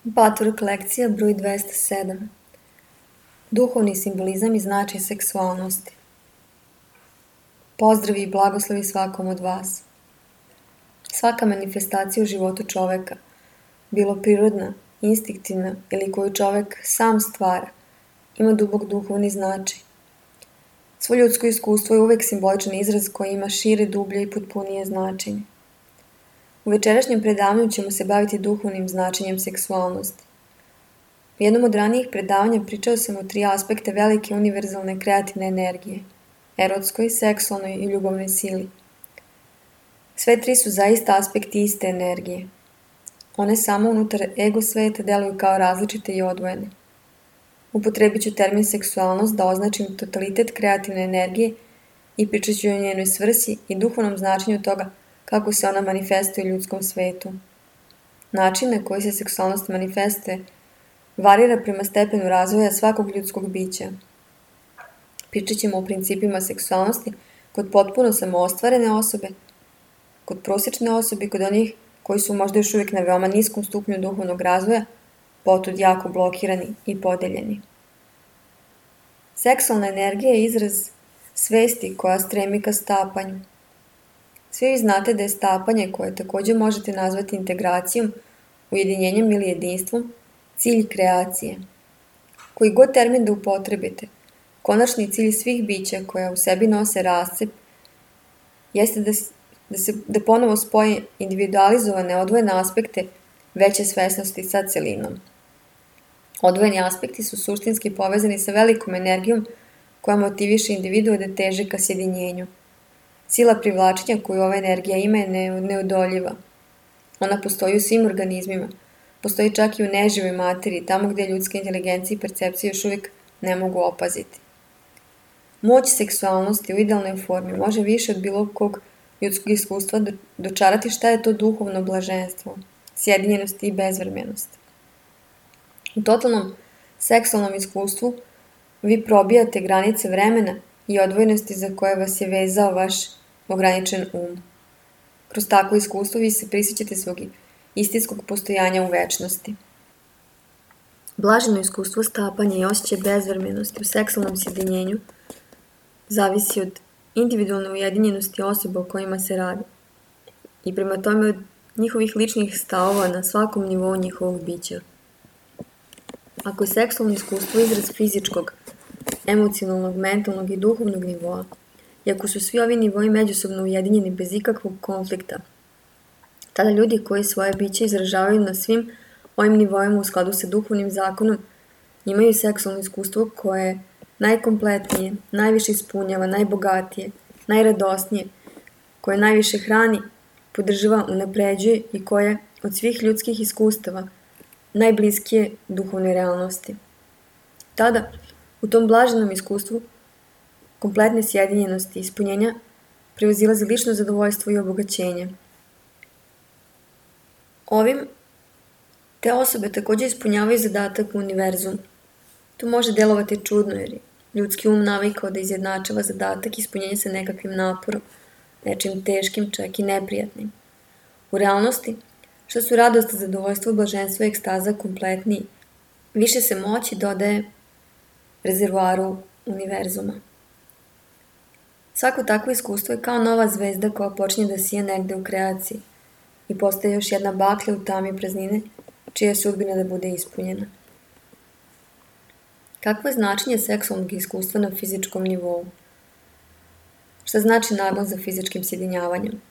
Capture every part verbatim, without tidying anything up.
Patvork lekcija broj dvesta sedam. Duhovni simbolizam i značaj seksualnosti. Pozdravi i blagoslovi svakom od vas. Svaka manifestacija u životu čoveka, bilo prirodna, instinktivna ili koju čovek sam stvara, ima dubok duhovni značaj. Svo ljudsko iskustvo je uvek simboličan izraz koji ima šire, dublje i potpunije značenje. U večerašnjem predavanju ćemo se baviti duhovnim značenjem seksualnosti. U jednom od ranijih predavanja pričao sam o tri aspekta velike univerzalne kreativne energije – erotskoj, seksualnoj i ljubavnoj sili. Sve tri su zaista aspekti iste energije. One samo unutar ego sveta deluju kao različite i odvojene. Upotrebit ću termin seksualnost da označim totalitet kreativne energije i pričat ću o njenoj svrsi i duhovnom značenju toga kako se ona manifestuje u ljudskom svetu. Način na koji se seksualnost manifestuje varira prema stepenu razvoja svakog ljudskog bića. Pričat ćemo o principima seksualnosti kod potpuno samoostvarene osobe, kod prosječne osobe i kod onih koji su možda još uvijek na veoma niskom stupnju duhovnog razvoja, potud jako blokirani i podeljeni. Seksualna energija je izraz svesti koja stremi ka stapanju. Svi vi znate da je stapanje, koje također možete nazvati integracijom, ujedinjenjem ili jedinstvom, cilj kreacije. Koji god termin da upotrebite, konačni cilj svih bića koja u sebi nose rascep jeste da, da se da ponovo spoje individualizovane odvojene aspekte veće svesnosti sa celinom. Odvojeni aspekti su suštinski povezani sa velikom energijom koja motiviše individua da teže ka sjedinjenju. Sila privlačenja koju ova energija ima je neodoljiva. Ona postoji u svim organizmima, postoji čak i u neživoj materiji, tamo gdje ljudska inteligencija i percepcija još uvijek ne mogu opaziti. Moć seksualnosti u idealnoj formi može više od bilo kog ljudskog iskustva dočarati šta je to duhovno blaženstvo, sjedinjenost i bezvremjenost. U totalnom seksualnom iskustvu vi probijate granice vremena i odvojenosti za koje vas je vezao vaš ograničen um. Kroz takvo iskustvo vi se prisjećate svog istinskog postojanja u večnosti. Blaženo iskustvo stapanja i osjećaj bezvremjenosti u seksualnom sjedinjenju zavisi od individualne ujedinjenosti osoba o kojima se radi i prema tome od njihovih ličnih stavova na svakom nivou njihovog bića. Ako je seksualno iskustvo izraz fizičkog, emocionalnog, mentalnog i duhovnog nivoa, i ako su svi ovi nivoi međusobno ujedinjeni bez ikakvog konflikta, tada ljudi koji svoje biće izražavaju na svim ovim nivoima u skladu sa duhovnim zakonom imaju seksualno iskustvo koje je najkompletnije, najviše ispunjava, najbogatije, najradosnije, koje najviše hrani, podržava, unapređuje i koje od svih ljudskih iskustava najbliskije duhovne realnosti. Tada, u tom blaženom iskustvu, kompletne sjedinjenosti i ispunjenja prevazilazi lično zadovoljstvo i obogaćenje. Ovim te osobe također ispunjavaju zadatak u univerzumu. To može delovati čudno jer je ljudski um navikao da izjednačava zadatak i ispunjenje sa nekakvim naporom, nečim teškim, čak i neprijatnim. U realnosti, što su radost, zadovoljstvo, blaženstvo i ekstaza kompletniji, više se moći dodaje rezervoaru univerzuma. Svako takvo iskustvo je kao nova zvezda koja počinje da sija negde u kreaciji i postaje još jedna baklja u tami praznine, čija je sudbina da bude ispunjena. Kakvo je značenje seksualnog iskustva na fizičkom nivou? Šta znači nagon za fizičkim sjedinjavanjem?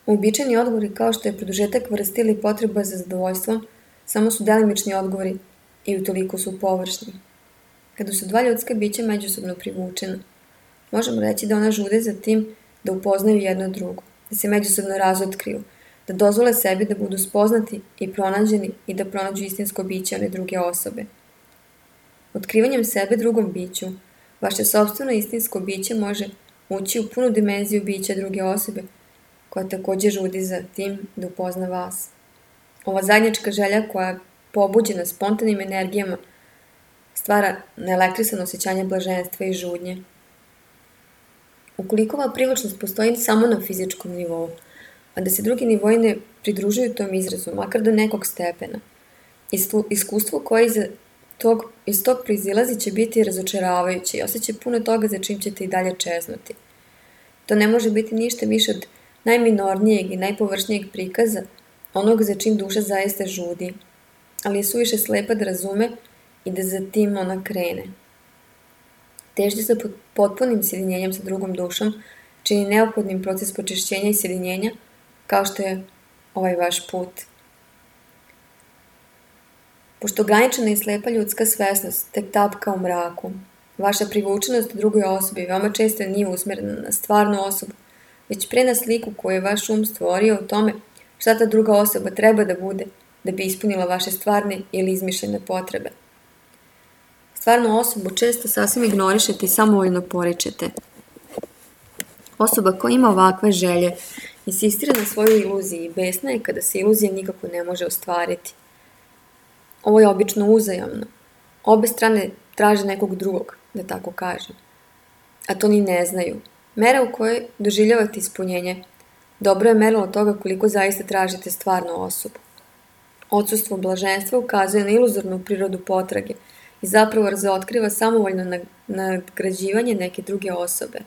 Uobičajeni odgovori kao što je produžetak vrste ili potreba za zadovoljstvom samo su delimični odgovori i utoliko su površni. Kada su dva ljudska bića međusobno privučena, možemo reći da ona žude za tim da upoznaju jedno drugo, da se međusobno razotkriju, da dozvole sebi da budu spoznati i pronađeni i da pronađu istinsko biće one druge osobe. Otkrivanjem sebe drugom biću, vaše sopstveno istinsko biće može ući u punu dimenziju bića druge osobe, koja također žudi za tim da upozna vas. Ova zajednička želja koja je pobuđena spontanim energijama stvara neelektrisano osjećanje blaženstva i žudnje. Ukoliko ova privlačnost postoji samo na fizičkom nivou, a da se drugi nivoji ne pridružuju tom izrazu, makar do nekog stepena, Iskustvo koje iz tog, iz tog proizilazi će biti razočaravajuće i osjeća puno toga za čim ćete i dalje čeznuti. To ne može biti ništa više od najminornijeg i najpovršnijeg prikaza onog za čim duša zaista žudi, ali je suviše slepa da razume i da za tim ona krene. Težnja za potpunim sjedinjenjem sa drugom dušom čini neophodnim proces počišćenja i sjedinjenja, kao što je ovaj vaš put. Pošto ograničena i slepa ljudska svesnost tek tapka u mraku, vaša privučenost drugoj osobi veoma često nije usmjerena na stvarnu osobu, već pre na sliku koju je vaš um stvorio o tome šta ta druga osoba treba da bude da bi ispunila vaše stvarne ili izmišljene potrebe. Stvarnu osobu često sasvim ignorišete i samovoljno poričete. Osoba koja ima ovakve želje insistira na svojoj iluziji i besna je kada se iluzija nikako ne može ostvariti. Ovo je obično uzajamno. Obe strane traže nekog drugog, da tako kažem. A to ni ne znaju. Mera u kojoj doživljavate ispunjenje dobro je merilo toga koliko zaista tražite stvarnu osobu. Odsustvo blaženstva ukazuje na iluzornu prirodu potrage i zapravo razotkriva samovoljno nagrađivanje neke druge osobe.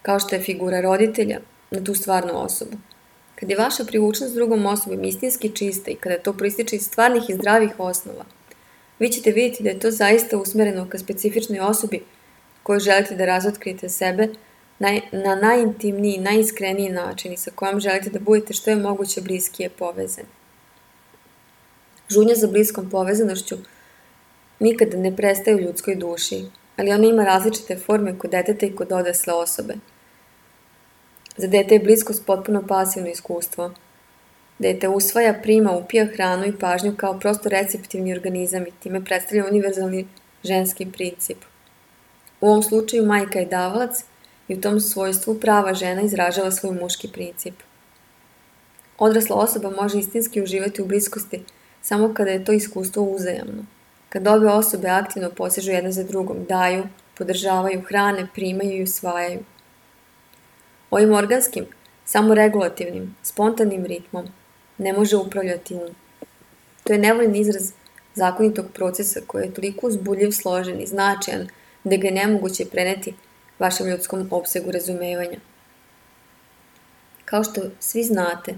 Kao što je figura roditelja na tu stvarnu osobu. Kad je vaša privučnost s drugom osobom istinski čista i kada to proističe iz stvarnih i zdravih osnova, vi ćete vidjeti da je to zaista usmereno ka specifičnoj osobi koju želite da razotkrijete sebe na najintimniji i najiskreniji način i sa kojom želite da budete što je moguće bliskije povezani. Žudnja za bliskom povezanošću nikada ne prestaje u ljudskoj duši, ali ona ima različite forme kod deteta i kod odrasle osobe. Za dete je bliskost potpuno pasivno iskustvo. Dete usvaja, prima, upija hranu i pažnju kao prosto receptivni organizam i time predstavlja univerzalni ženski princip. U ovom slučaju majka je davalac i u tom svojstvu prava žena izražava svoj muški princip. Odrasla osoba može istinski uživati u bliskosti samo kada je to iskustvo uzajamno. Kad obe osobe aktivno posežu jedna za drugom, daju, podržavaju, hrane, primaju i usvajaju. Ovim organskim, samoregulativnim, spontanim ritmom ne može upravljati um. To je nevoljen izraz zakonitog procesa koji je toliko uzbudljiv, složen i značajan da ga je nemoguće preneti vašem ljudskom opsegu razumevanja. Kao što svi znate,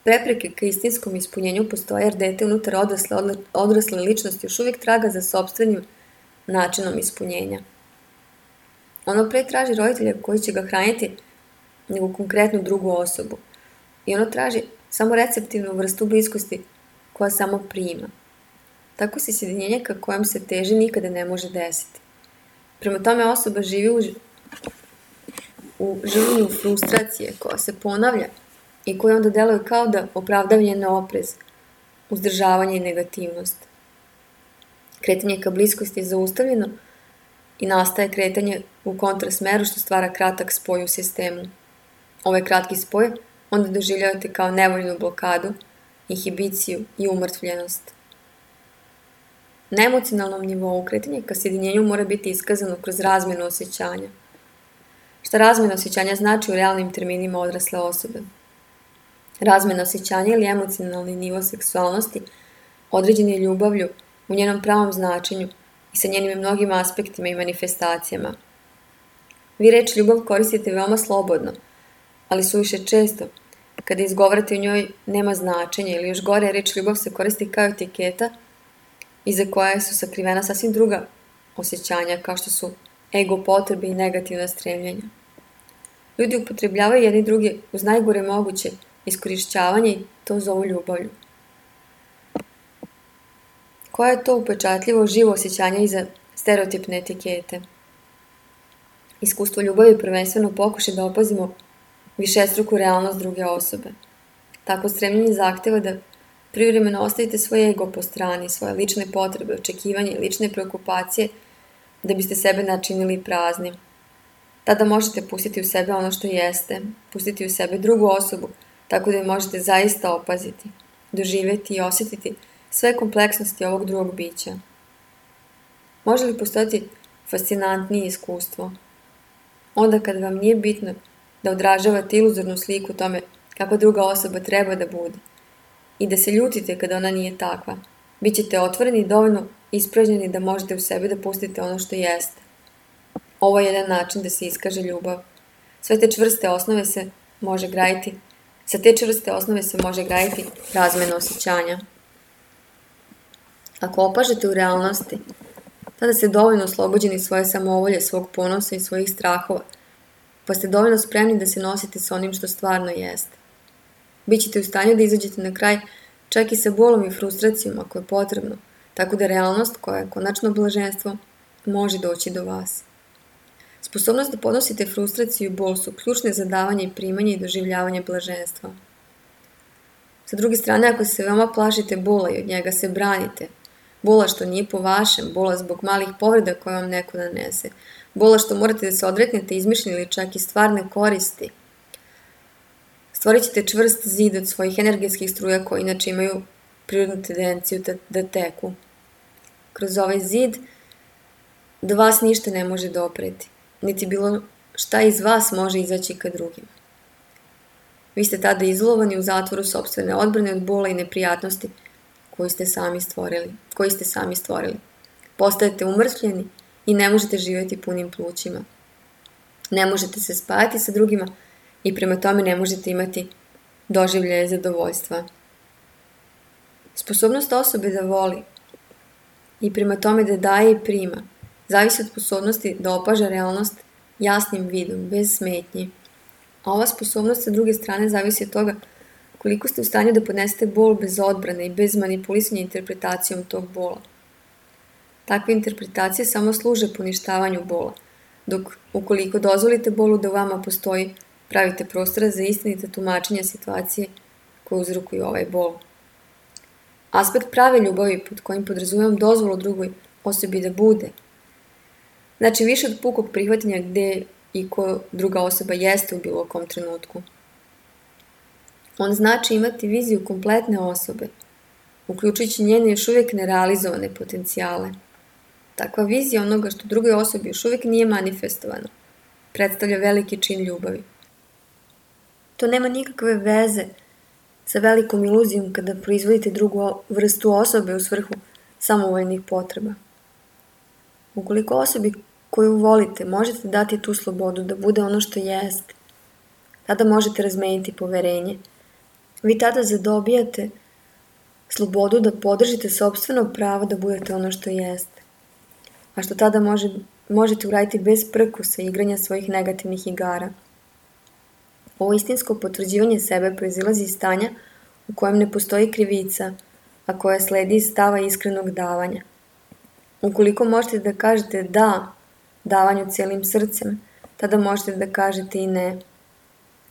prepreke ka istinskom ispunjenju postoje jer dete unutar odrasle, odrasle ličnosti još uvijek traga za sopstvenim načinom ispunjenja. Ono pre traži roditelja koji će ga hraniti nego konkretnu drugu osobu i ono traži samo receptivnu vrstu bliskosti koja samo prima. Tako se sjedinjenje ka kojem se teži nikada ne može desiti. Prema tome osoba živi u, u življenju frustracije koja se ponavlja i koja onda deluje kao da opravdava njen oprez, uzdržavanje i negativnost. Kretanje ka bliskosti je zaustavljeno i nastaje kretanje u kontrasmeru što stvara kratak spoj u sistemu. Ovaj kratki spoj onda doživljavate kao nevoljnu blokadu, inhibiciju i umrtvljenost. Na emocionalnom nivou kretanje ka sjedinjenju mora biti iskazano kroz razmjenu osjećanja. Šta razmjena osjećanja znači u realnim terminima odrasle osobe? Razmjena osjećanja ili emocionalni nivo seksualnosti određen je ljubavlju u njenom pravom značenju i sa njenim mnogim aspektima i manifestacijama. Vi reč ljubav koristite veoma slobodno, ali suviše često, kada izgovarate u njoj nema značenja ili još gore reč ljubav se koristi kao etiketa iza koje su sakrivena sasvim druga osjećanja kao što su ego potrebe i negativna stremljenja. Ljudi upotrebljavaju jedni drugi uz najgore moguće iskorišćavanje i to zovu ljubavlju. Koje je to upečatljivo živo osjećanje iza stereotipne etikete? Iskustvo ljubavi prvenstveno pokuša da opazimo višestruku realnost druge osobe. Tako stremljenje zahteva da privremeno ostavite svoj ego po strani, svoje lične potrebe, očekivanje i lične preokupacije da biste sebe načinili praznim. Tada možete pustiti u sebe ono što jeste, pustiti u sebe drugu osobu, tako da je možete zaista opaziti, doživjeti i osjetiti sve kompleksnosti ovog drugog bića. Može li postojati fascinantnije iskustvo? Onda kad vam nije bitno da odražavate iluzornu sliku tome kako druga osoba treba da bude i da se ljutite kada ona nije takva. Bićete otvoreni i dovoljno ispražnjeni da možete u sebi da pustite ono što jeste. Ovo je jedan način da se iskaže ljubav. Sve te čvrste osnove se može graditi, sa te čvrste osnove se može graditi razmena osjećanja. Ako opažete u realnosti, tada ste dovoljno oslobođeni svoje samovolje, svog ponosa i svojih strahova, pa ste dovoljno spremni da se nosite sa onim što stvarno jeste. Bićete u stanju da izađete na kraj čak i sa bolom i frustracijom ako je potrebno, tako da realnost, koja je konačno blaženstvo, može doći do vas. Sposobnost da podnosite frustraciju i bol su ključne za davanje i primanje i doživljavanje blaženstva. Sa druge strane, ako se veoma plašite bola i od njega se branite, bola što nije po vašem, bola zbog malih povreda koje vam neko nanese, bola što morate da se odreknete izmišljene ili čak i stvarne koristi, stvorit ćete čvrst zid od svojih energetskih struja koji inače imaju prirodnu tendenciju da, da teku. Kroz ovaj zid do vas ništa ne može dopreti, niti bilo šta iz vas može izaći ka drugima. Vi ste tada izolovani u zatvoru sopstvene odbrane od bola i neprijatnosti koji ste sami stvorili, koji ste sami stvorili. Postajete umrtvljeni i ne možete živjeti punim plućima. Ne možete se spajati sa drugima i prema tome ne možete imati doživljaje zadovoljstva. Sposobnost osobe da voli i prema tome da daje i prima zavisi od sposobnosti da opaža realnost jasnim vidom, bez smetnji. A ova sposobnost sa druge strane zavisi od toga koliko ste u stanju da podnesete bol bez odbrane i bez manipulisanja interpretacijom tog bola. Takve interpretacije samo služe poništavanju bola, dok ukoliko dozvolite bolu da u vama postoji, pravite prostora za istinite tumačenja situacije koje uzrokuju ovaj bol. Aspekt prave ljubavi pod kojim podrazumijem dozvolu drugoj osobi da bude, znači više od pukog prihvatanja gde i ko druga osoba jeste u bilo kom trenutku. On znači imati viziju kompletne osobe, uključujući njene još uvijek nerealizovane potencijale. Takva vizija onoga što drugoj osobi još uvijek nije manifestovano predstavlja veliki čin ljubavi. To nema nikakve veze sa velikom iluzijom kada proizvodite drugu vrstu osobe u svrhu samovoljnih potreba. Ukoliko osobi koju volite možete dati tu slobodu da bude ono što jeste, tada možete razmeniti poverenje. Vi tada zadobijate slobodu da podržite sopstveno pravo da budete ono što jeste, a što tada može, možete uraditi bez prkusa i igranja svojih negativnih igara. Ovo istinsko potvrđivanje sebe proizilazi iz stanja u kojem ne postoji krivica, a koja sledi iz stava iskrenog davanja. Ukoliko možete da kažete da davanju cijelim srcem, tada možete da kažete i ne.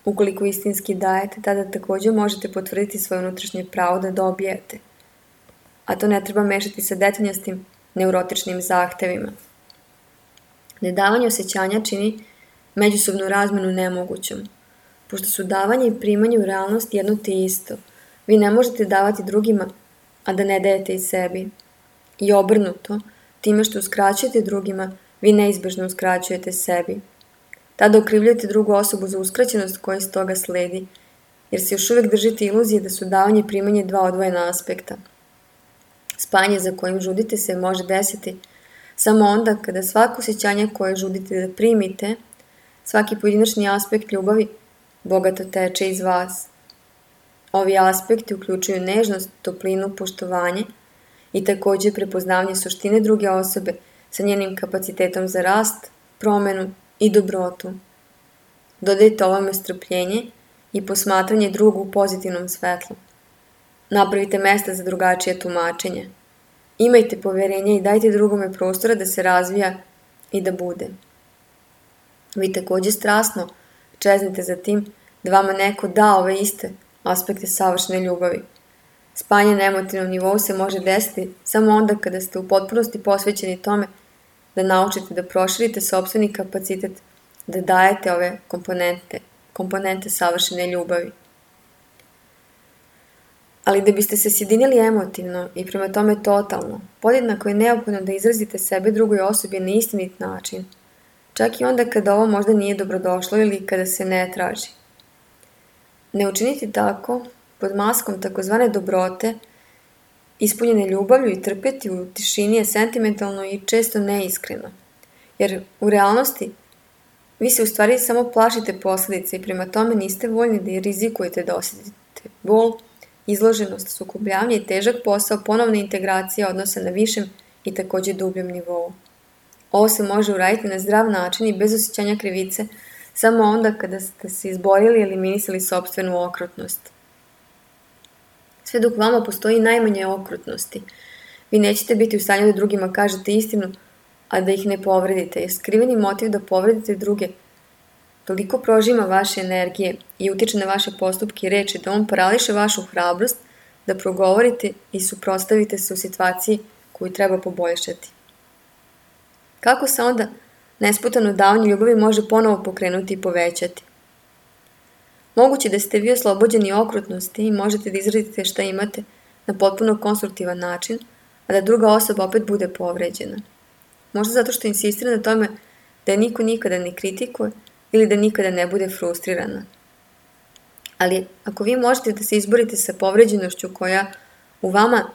Ukoliko istinski dajete, tada također možete potvrditi svoje unutrašnje pravo da dobijete. A to ne treba mešati sa detaljnjastim neurotičnim zahtevima. Nedavanje osjećanja čini međusobnu razmenu nemogućom. Pošto su davanje i primanje u realnosti jedno te isto, vi ne možete davati drugima, a da ne dajete i sebi. I obrnuto, time što uskraćujete drugima, vi neizbežno uskraćujete sebi. Tada okrivljujete drugu osobu za uskraćenost koja iz toga sledi, jer se još uvijek držite iluzije da su davanje i primanje dva odvojena aspekta. Spajanje za kojim žudite se može desiti samo onda kada svako osjećanje koje žudite da primite, svaki pojedinačni aspekt ljubavi, bogato teče iz vas. Ovi aspekti uključuju nežnost, toplinu, poštovanje i također prepoznavanje suštine druge osobe sa njenim kapacitetom za rast, promenu i dobrotu. Dodajte ovome strpljenje i posmatranje drugog u pozitivnom svetlu. Napravite mesta za drugačije tumačenje. Imajte poverenje i dajte drugome prostora da se razvija i da bude. Vi također strasno čeznite za tim da vama neko da ove iste aspekte savršene ljubavi. Spajanje na emotivnom nivou se može desiti samo onda kada ste u potpunosti posvećeni tome da naučite da proširite sopstveni kapacitet, da dajete ove komponente, komponente savršene ljubavi. Ali da biste se sjedinili emotivno i prema tome totalno, podjednako je neophodno da izrazite sebe drugoj osobi na istinit način, čak i onda kada ovo možda nije dobrodošlo ili kada se ne traži. Ne učiniti tako pod maskom takozvane dobrote, ispunjene ljubavlju i trpeti u tišini je sentimentalno i često neiskreno. Jer u realnosti vi se u stvari samo plašite posljedice i prema tome niste voljni da rizikujete da osjetite bol, izloženost, sukobljavanje i težak posao ponovne integracije odnosa na višem i također dubljem nivou. Ovo se može uraditi na zdrav način i bez osjećanja krivice samo onda kada ste se izborili i eliminisali sopstvenu okrutnost. Sve dok vama postoji najmanje okrutnosti, vi nećete biti u stanju da drugima kažete istinu, a da ih ne povredite, jer skriveni motiv da povredite druge toliko prožima vaše energije i utiče na vaše postupke i reči da on parališe vašu hrabrost da progovorite i suprotstavite se u situaciji koju treba poboljšati. Kako se onda nesputano davanje ljubavi može ponovo pokrenuti i povećati? Moguće da ste vi oslobođeni okrutnosti i možete da izradite šta imate na potpuno konstruktivan način, a da druga osoba opet bude povređena. Možda zato što insistira na tome da je niko nikada ne kritikuje ili da nikada ne bude frustrirana. Ali ako vi možete da se izborite sa povređenošću koja u vama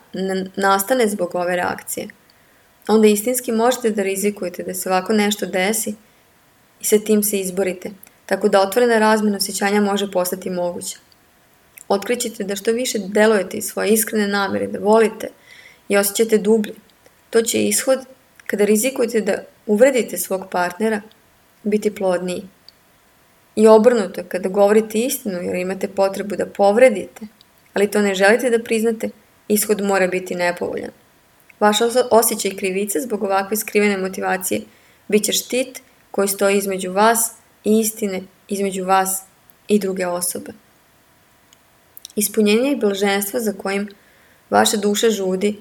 nastane zbog ove reakcije, onda istinski možete da rizikujete da se ovako nešto desi i sa tim se izborite, tako da otvorena razmjena osjećanja može postati moguća. Otkrićete da što više delujete iz svoje iskrene namere da volite i osjećate dublje. To će ishod, kada rizikujete da uvredite svog partnera, biti plodniji. I obrnuto, kada govorite istinu jer imate potrebu da povredite, ali to ne želite da priznate, ishod mora biti nepovoljan. Vaš osjećaj krivice zbog ovakve skrivene motivacije bit će štit koji stoji između vas i istine, između vas i druge osobe. Ispunjenje i blaženstvo za kojim vaša duša žudi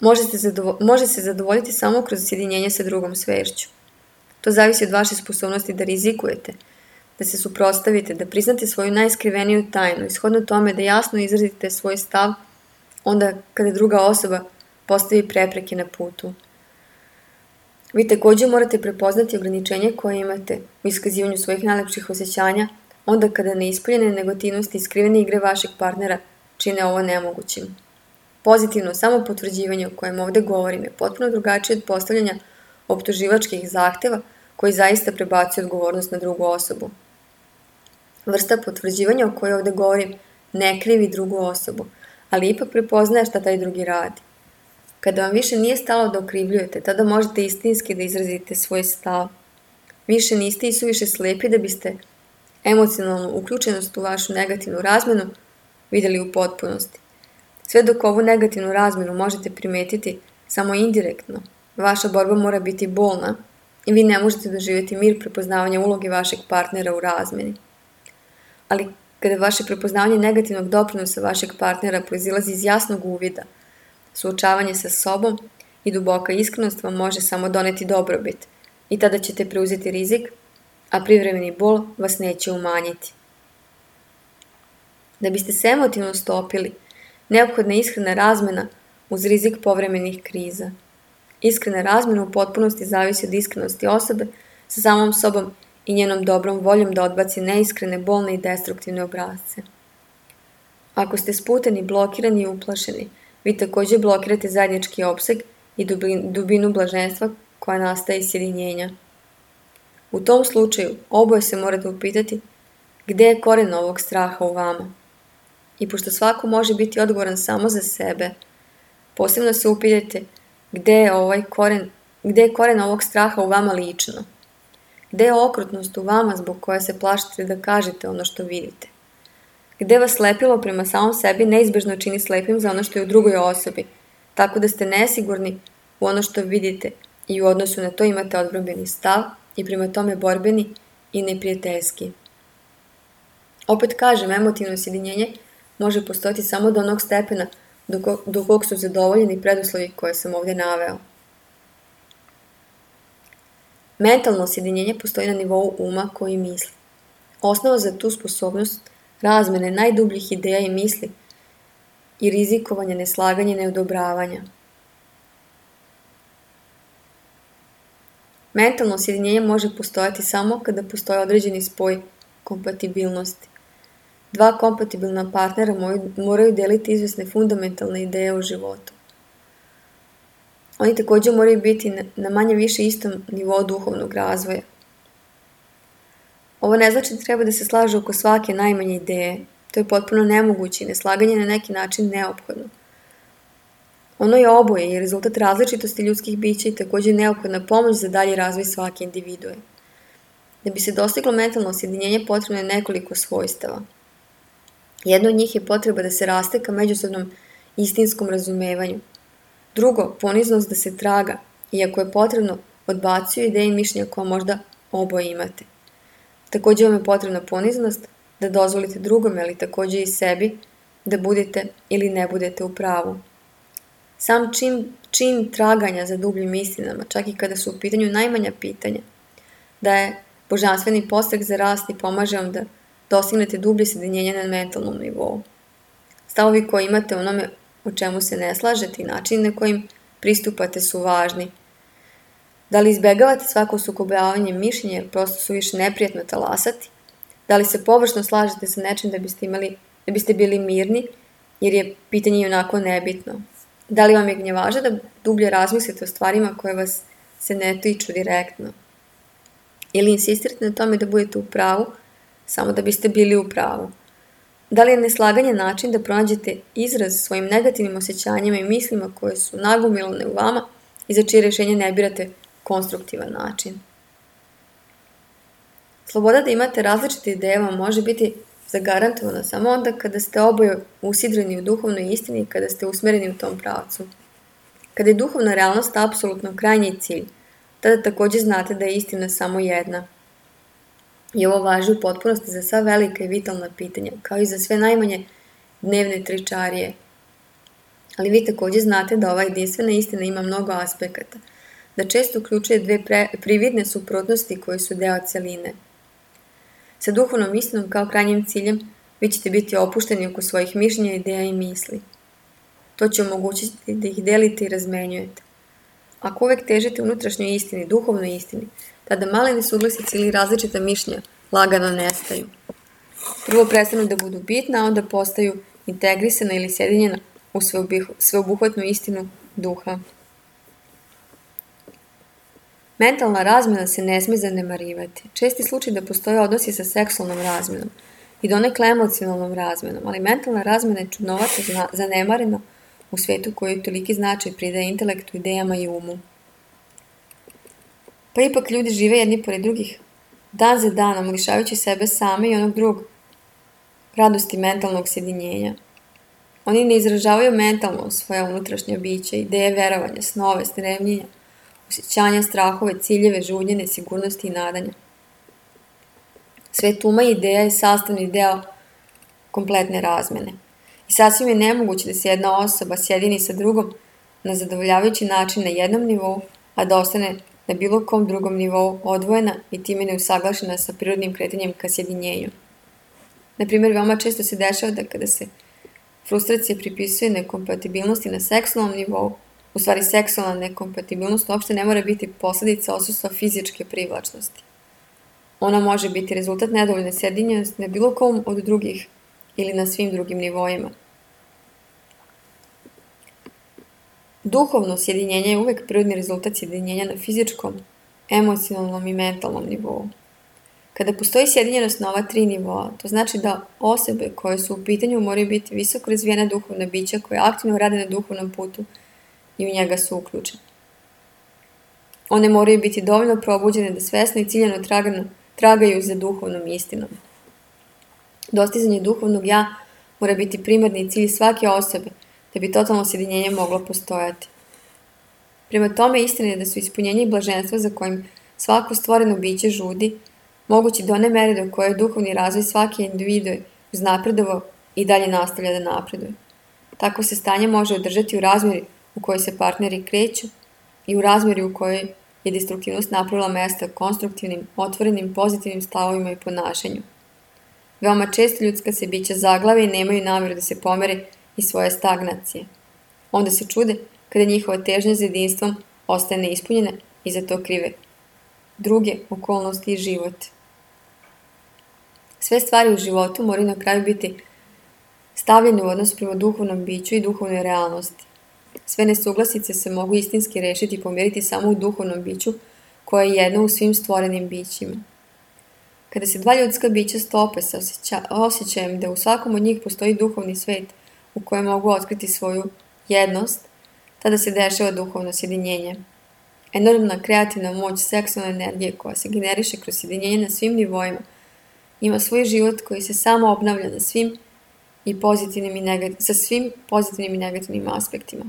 može se, zadovo- može se zadovoljiti samo kroz sjedinjenje sa drugom svešću. To zavisi od vaše sposobnosti da rizikujete, da se suprotstavite, da priznate svoju najskriveniju tajnu i shodno tome da jasno izrazite svoj stav onda kada druga osoba postavi prepreke na putu. Vi također morate prepoznati ograničenje koje imate u iskazivanju svojih najlepših osjećanja onda kada neispoljene negativnosti i skrivene igre vašeg partnera čine ovo nemogućim. Pozitivno samopotvrđivanje o kojem ovdje govorim je potpuno drugačije od postavljanja optuživačkih zahteva koji zaista prebacuju odgovornost na drugu osobu. Vrsta potvrđivanja o kojoj ovdje govorim ne krivi drugu osobu, ali ipak prepoznaje šta taj drugi radi. Kada vam više nije stalo da okrivljujete, tada možete istinski da izrazite svoj stav. Više niste i suviše slijepi da biste emocionalnu uključenost u vašu negativnu razmjenu vidjeli u potpunosti. Sve dok ovu negativnu razmjenu možete primetiti samo indirektno, vaša borba mora biti bolna i vi ne možete doživjeti mir prepoznavanja uloge vašeg partnera u razmjeni. Ali kada vaše prepoznavanje negativnog doprinosa vašeg partnera proizilazi iz jasnog uvida, suočavanje sa sobom i duboka iskrenost vam može samo doneti dobrobit i tada ćete preuzeti rizik, a privremeni bol vas neće umanjiti. Da biste se emotivno stopili, neophodna je iskrena razmjena uz rizik povremenih kriza. Iskrena razmjena u potpunosti zavisi od iskrenosti osobe sa samom sobom i njenom dobrom voljom da odbaci neiskrene, bolne i destruktivne obrazce. Ako ste sputani, blokirani i uplašeni, vi također blokirate zajednički opseg i dubinu blaženstva koja nastaje iz sjedinjenja. U tom slučaju oboje se morate upitati gdje je koren ovog straha u vama. I pošto svako može biti odgovoran samo za sebe, posebno se upitajte gdje je ovaj koren, gdje je koren ovog straha u vama lično. Gdje je okrutnost u vama zbog koje se plašite da kažete ono što vidite. Gdje vas slepilo prema samom sebi neizbježno čini slepim za ono što je u drugoj osobi, tako da ste nesigurni u ono što vidite i u odnosu na to imate odbrambeni stav i prema tome borbeni i neprijateljski. Opet kažem, emotivno sjedinjenje može postojati samo do onog stepena do kog su zadovoljeni preduslovi koje sam ovdje naveo. Mentalno sjedinjenje postoji na nivou uma koji misli. Osnova za tu sposobnost razmene najdubljih ideja i misli i rizikovanja, neslaganja i neodobravanja. Mentalno sjedinjenje može postojati samo kada postoji određeni spoj kompatibilnosti. Dva kompatibilna partnera moraju deliti izvesne fundamentalne ideje u životu. Oni također moraju biti na manje više istom nivou duhovnog razvoja. Ovo ne znači da treba da se slažu oko svake najmanje ideje. To je potpuno nemoguće i neslaganje na neki način neophodno. Ono je oboje i rezultat različitosti ljudskih bića i također neophodna pomoć za dalji razvoj svake individue. Da bi se dostiglo mentalno sjedinjenje potrebno je nekoliko svojstava. Jedno od njih je potreba da se raste ka međusobnom istinskom razumevanju. Drugo, poniznost da se traga, iako je potrebno, odbacuju ideje i mišljenja koja možda oboje imate. Također vam je potrebna poniznost da dozvolite drugome, ali također i sebi, da budete ili ne budete u pravu. Sam čin, čin traganja za dubljim istinama, čak i kada su u pitanju najmanja pitanja, da je božanstveni postrek za rast i pomaže vam da dostignete dublje sjedinjenje na mentalnom nivou. Stavovi koje imate o onome o čemu se ne slažete i način na kojim pristupate su važni. Da li izbjegavate svako sukobljavanje mišljenja jer prosto su više neprijatno talasati? Da li se površno slažete sa nečim da biste, imali, da biste bili mirni jer je pitanje onako nebitno? Da li vam je gnjavaža da dublje razmislite o stvarima koje vas se ne tiču direktno? Ili insistirate na tome da budete u pravu samo da biste bili u pravu? Da li je neslaganje način da pronađete izraz svojim negativnim osjećanjima i mislima koje su nagomilane u vama i za čije rješenje ne birate konstruktivan način? Sloboda da imate različite ideje vam može biti zagarantovana samo onda kada ste oboje usidreni u duhovnoj istini i kada ste usmjereni u tom pravcu. Kada je duhovna realnost apsolutno krajnji cilj, tada također znate da je istina samo jedna. I ovo važi u potpunosti za sva velika i vitalna pitanja, kao i za sve najmanje dnevne tričarije. Ali vi također znate da ova jedinstvena istina ima mnogo aspekata, da često uključuje dve pre, prividne suprotnosti koje su deo celine. Sa duhovnom istinom kao krajnjim ciljem vi ćete biti opušteni oko svojih mišljenja, ideja i misli. To će omogućiti da ih delite i razmenjujete. Ako uvek težite unutrašnjoj istini, duhovnoj istini, tada male nesuglasice ili različita mišljenja lagano nestaju. Prvo prestanu da budu bitna, a onda postaju integrisana ili sjedinjena u sveobuhvatnu istinu duha. Mentalna razmjena se ne smije zanemarivati. Česti slučaj da postoje odnosi sa seksualnom razmjenom i donekle emocionalnom razmjenom, ali mentalna razmjena je čudnovato zanemarena u svijetu koji toliki značaj pridaje intelektu, idejama i umu. Pa ipak ljudi žive jedni pored drugih, dan za danom, lišavajući sebe same i onog drugog radosti mentalnog sjedinjenja. Oni ne izražavaju mentalno svoja unutrašnja bića, ideje, verovanja, snove, stremljenja, osjećanja, strahove, ciljeve, žudnje, nesigurnosti i nadanja. Svet uma i ideja je sastavni deo kompletne razmene. I sasvim je nemoguće da se jedna osoba sjedini sa drugom na zadovoljavajući način na jednom nivou, a da ostane na bilo kom drugom nivou odvojena i time neusaglašena sa prirodnim kretanjem ka sjedinjenju. Naprimjer, veoma često se dešava da kada se frustracija pripisuje nekompatibilnosti na seksualnom nivou, u stvari seksualna nekompatibilnost uopšte ne mora biti posljedica odsustva fizičke privlačnosti. Ona može biti rezultat nedovoljne sjedinjenosti na bilo kom od drugih ili na svim drugim nivoima. Duhovno sjedinjenje je uvek prirodni rezultat sjedinjenja na fizičkom, emocionalnom i mentalnom nivou. Kada postoji sjedinjenost na ova tri nivoa, to znači da osobe koje su u pitanju moraju biti visoko razvijena duhovna bića koje aktivno rade na duhovnom putu i u njega su uključene. One moraju biti dovoljno probuđene da svesno i ciljano tragano, tragaju za duhovnom istinom. Dostizanje duhovnog ja mora biti primarni cilj svake osobe da bi totalno sjedinjenje moglo postojati. Prema tome, istina je da su ispunjenje i blaženstvo za kojim svako stvoreno biće žudi, mogući do one mere do koje je duhovni razvoj svake individue uznapredovao i dalje nastavlja da napreduje. Tako se stanje može održati u razmjeri u kojoj se partneri kreću i u razmjeri u kojoj je destruktivnost napravila mesta konstruktivnim, otvorenim, pozitivnim stavovima i ponašanju. Veoma često ljudska se bića zaglave i nemaju namjeru da se pomere iz svoje stagnacije. Onda se čude kada njihova težnja za jedinstvom ostaje neispunjena i za to krive druge okolnosti i život. Sve stvari u životu moraju na kraju biti stavljene u odnos prema duhovnom biću i duhovnoj realnosti. Sve nesuglasice se mogu istinski rešiti i pomiriti samo u duhovnom biću koje je jedno u svim stvorenim bićima. Kada se dva ljudska bića stope sa osjeća, osjećajem da u svakom od njih postoji duhovni svet u kojem mogu otkriti svoju jednost, tada se dešava duhovno sjedinjenje. Enormna kreativna moć seksualne energije koja se generiše kroz sjedinjenje na svim nivoima ima svoj život koji se samo obnavlja na svim i pozitivnim i negativ, sa svim pozitivnim i negativnim aspektima.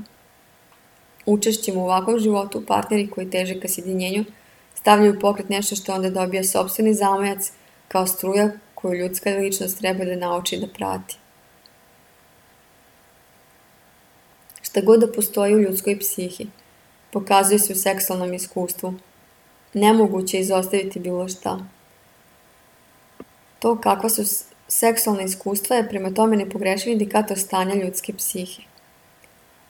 Učešćem u ovakvom životu partneri koji teže ka sjedinjenju stavljaju u pokret nešto što onda dobija sopstveni zamajac kao struja koju ljudska ličnost treba da nauči da prati. Šta god da postoji u ljudskoj psihi, pokazuje se u seksualnom iskustvu. Nemoguće je izostaviti bilo šta. To kakva su seksualna iskustva je prema tome nepogrešiv indikator stanja ljudske psihe.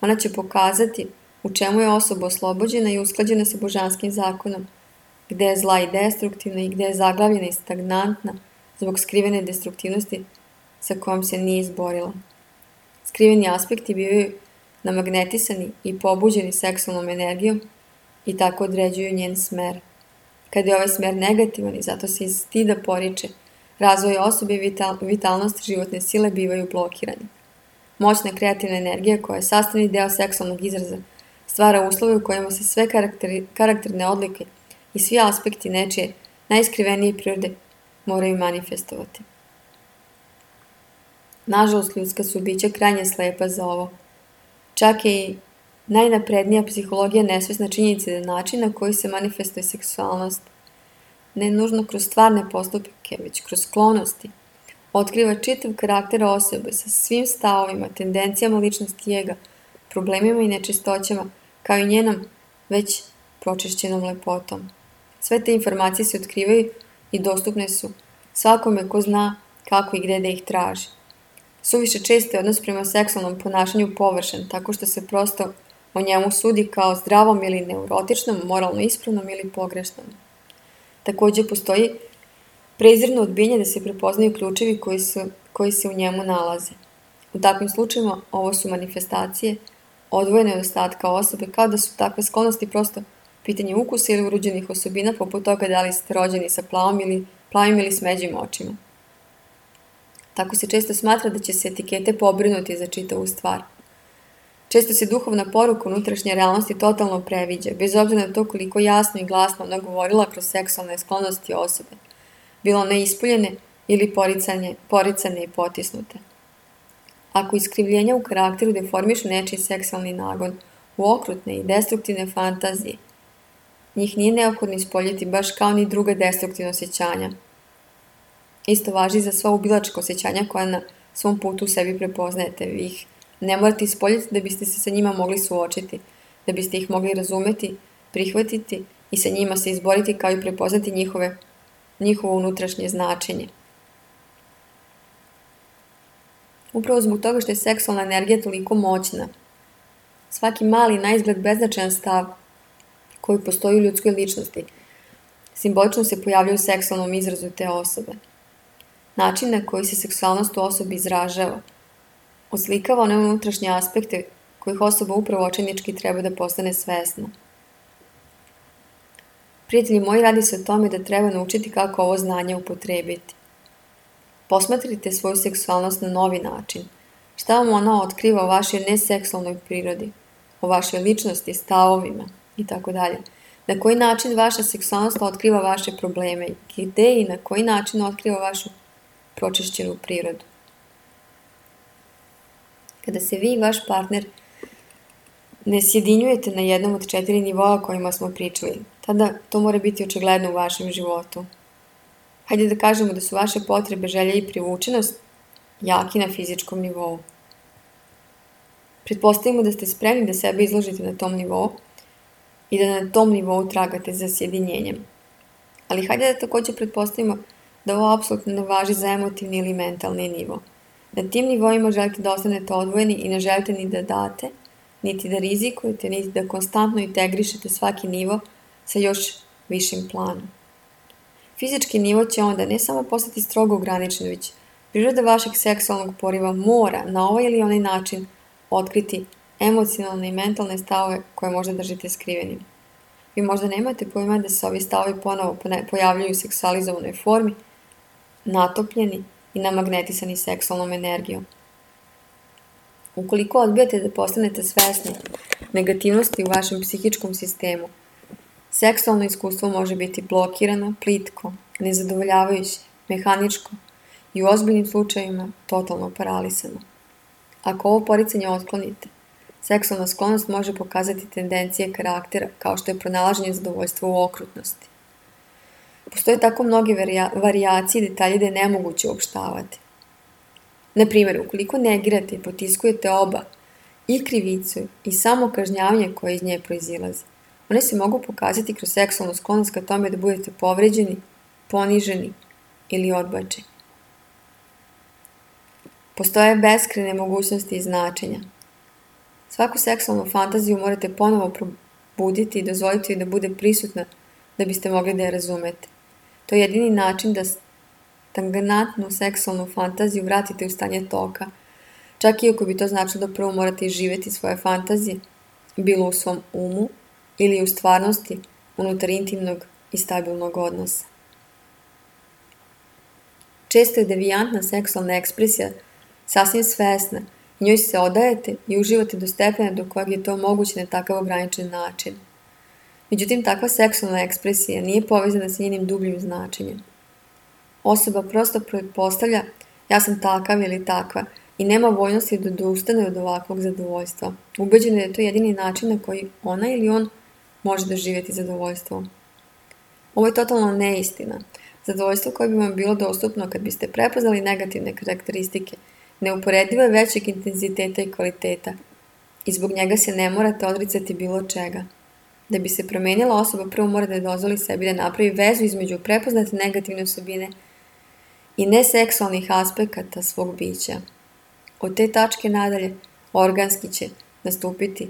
Ona će pokazati u čemu je osoba oslobođena i usklađena sa božanskim zakonom, gde je zla i destruktivna i gde je zaglavljena i stagnantna zbog skrivene destruktivnosti sa kojom se nije izborila. Skriveni aspekti bivaju namagnetisani i pobuđeni seksualnom energijom i tako određuju njen smer. Kada je ovaj smer negativan i zato se iz stida poriče, razvoj osobe i vital, vitalnost životne sile bivaju blokirani. Moćna kreativna energija koja je sastavni deo seksualnog izraza stvara uslove u kojima se sve karakteri, karakterne odlike i svi aspekti nečije najiskrivenije prirode moraju manifestovati. Nažalost, ljudska su bića krajnje slepa za ovo. Čak i najnaprednija psihologija nesvesna činjenica da način na koji se manifestuje seksualnost, ne nužno kroz stvarne postupke, već kroz sklonosti, otkriva čitav karakter osobe sa svim stavovima, tendencijama ličnosti i ega, problemima i nečistoćama, kao i njenom već pročišćenom lepotom. Sve te informacije se otkrivaju i dostupne su svakome ko zna kako i gde da ih traži. Suviše često je odnos prema seksualnom ponašanju površan, tako što se prosto o njemu sudi kao zdravom ili neurotičnom, moralno ispravnom ili pogrešnom. Također postoji prezirno odbijanje da se prepoznaju ključevi koji, su, koji se u njemu nalaze. U takvim slučajima ovo su manifestacije odvojene od ostatka osobe, kao da su takve sklonosti prosto pitanje ukusa ili urođenih osobina, poput toga da li ste rođeni sa plavom ili, plavim ili smeđim očima. Tako se često smatra da će se etikete pobrinuti za čitavu stvar. Često se duhovna poruka unutrašnje realnosti totalno previđa, bez obzira na to koliko jasno i glasno ona govorila kroz seksualne sklonosti osobe, bilo one ispoljene ili poricane, poricane i potisnute. Ako iskrivljenja u karakteru deformišu nečiji seksualni nagon u okrutne i destruktivne fantazije, njih nije neophodno ispoljiti baš kao ni druga destruktivna osjećanja. Isto važi za sva ubilačka osjećanja koja na svom putu u sebi prepoznajete. Vi ih ne morate ispoljiti da biste se sa njima mogli suočiti, da biste ih mogli razumeti, prihvatiti i sa njima se izboriti kao i prepoznati njihove, njihovo unutrašnje značenje. Upravo zbog toga što je seksualna energija toliko moćna, svaki mali naizgled beznačajan stav koji postoji u ljudskoj ličnosti simbolično se pojavljaju u seksualnom izrazu te osobe. Način na koji se seksualnost u osobi izražava oslikava one unutrašnje aspekte kojih osoba upravo očajnički treba da postane svesna. Prijatelji moji, radi se o tome da treba naučiti kako ovo znanje upotrebiti. Posmatrite svoju seksualnost na novi način. Šta vam ona otkriva o vašoj neseksualnoj prirodi, o vašoj ličnosti, stavovima itd. Na koji način vaša seksualnost otkriva vaše probleme, gde i na koji način otkriva vašu pročišćenu prirodu. Kada se vi i vaš partner ne sjedinjujete na jednom od četiri nivoa kojima smo pričali, tada to mora biti očigledno u vašem životu. Hajde da kažemo da su vaše potrebe, želje i privučenost jaki na fizičkom nivou. Pretpostavimo da ste spremni da sebe izložite na tom nivou i da na tom nivou tragate za sjedinjenjem. Ali hajde da također pretpostavimo da ovo apsolutno ne važi za emotivni ili mentalni nivo. Na tim nivoima želite da ostanete odvojeni i ne želite ni da date, niti da rizikujete, niti da konstantno integrišete svaki nivo sa još višim planom. Fizički nivo će onda ne samo postati strogo ograničen, već priroda vašeg seksualnog poriva mora na ovaj ili onaj način otkriti emocionalne i mentalne stavove koje možda držite skrivenim. Vi možda nemate pojma da se ovi stavovi ponovo pojavljuju u seksualizovanoj formi, natopljeni i namagnetisani seksualnom energijom. Ukoliko odbijate da postanete svesni negativnosti u vašem psihičkom sistemu, seksualno iskustvo može biti blokirano, plitko, nezadovoljavajuće, mehaničko i u ozbiljnim slučajevima totalno paralisano. Ako ovo poricanje otklonite, seksualna sklonost može pokazati tendencije karaktera kao što je pronalaženje zadovoljstva u okrutnosti. Postoje tako mnoge varijacije i detalje da je nemoguće uopštavati. Na primjer, ukoliko negirate i potiskujete oba, i krivicu i samo kažnjavanje koje iz nje proizilazi, one se mogu pokazati kroz seksualnu sklonost ka tome da budete povređeni, poniženi ili odbačeni. Postoje beskrajne mogućnosti i značenja. Svaku seksualnu fantaziju morate ponovo probuditi i dozvoliti da bude prisutna da biste mogli da je razumete. To je jedini način da stagnantnu seksualnu fantaziju vratite u stanje toka, čak i ako bi to značilo da prvo morate živjeti svoje fantazije, bilo u svom umu ili u stvarnosti unutar intimnog i stabilnog odnosa. Često je devijantna seksualna ekspresija sasvim svesna i njoj se odajete i uživate do stepena do kojeg je to moguće na takav ograničen način. Međutim, takva seksualna ekspresija nije povezana sa njenim dubljim značenjem. Osoba prosto pretpostavlja ja sam takav ili takva i nema voljnosti da odustane od ovakvog zadovoljstva. Ubeđena je da je to jedini način na koji ona ili on može doživjeti zadovoljstvo. Ovo je totalno neistina. Zadovoljstvo koje bi vam bilo dostupno kad biste prepoznali negativne karakteristike neuporedivo je većeg intenziteta i kvaliteta i zbog njega se ne morate odricati bilo čega. Da bi se promenila osoba, prvo mora da dozvoli sebi da napravi vezu između prepoznate negativne osobine i neseksualnih aspekata svog bića. Od te tačke nadalje organski će nastupiti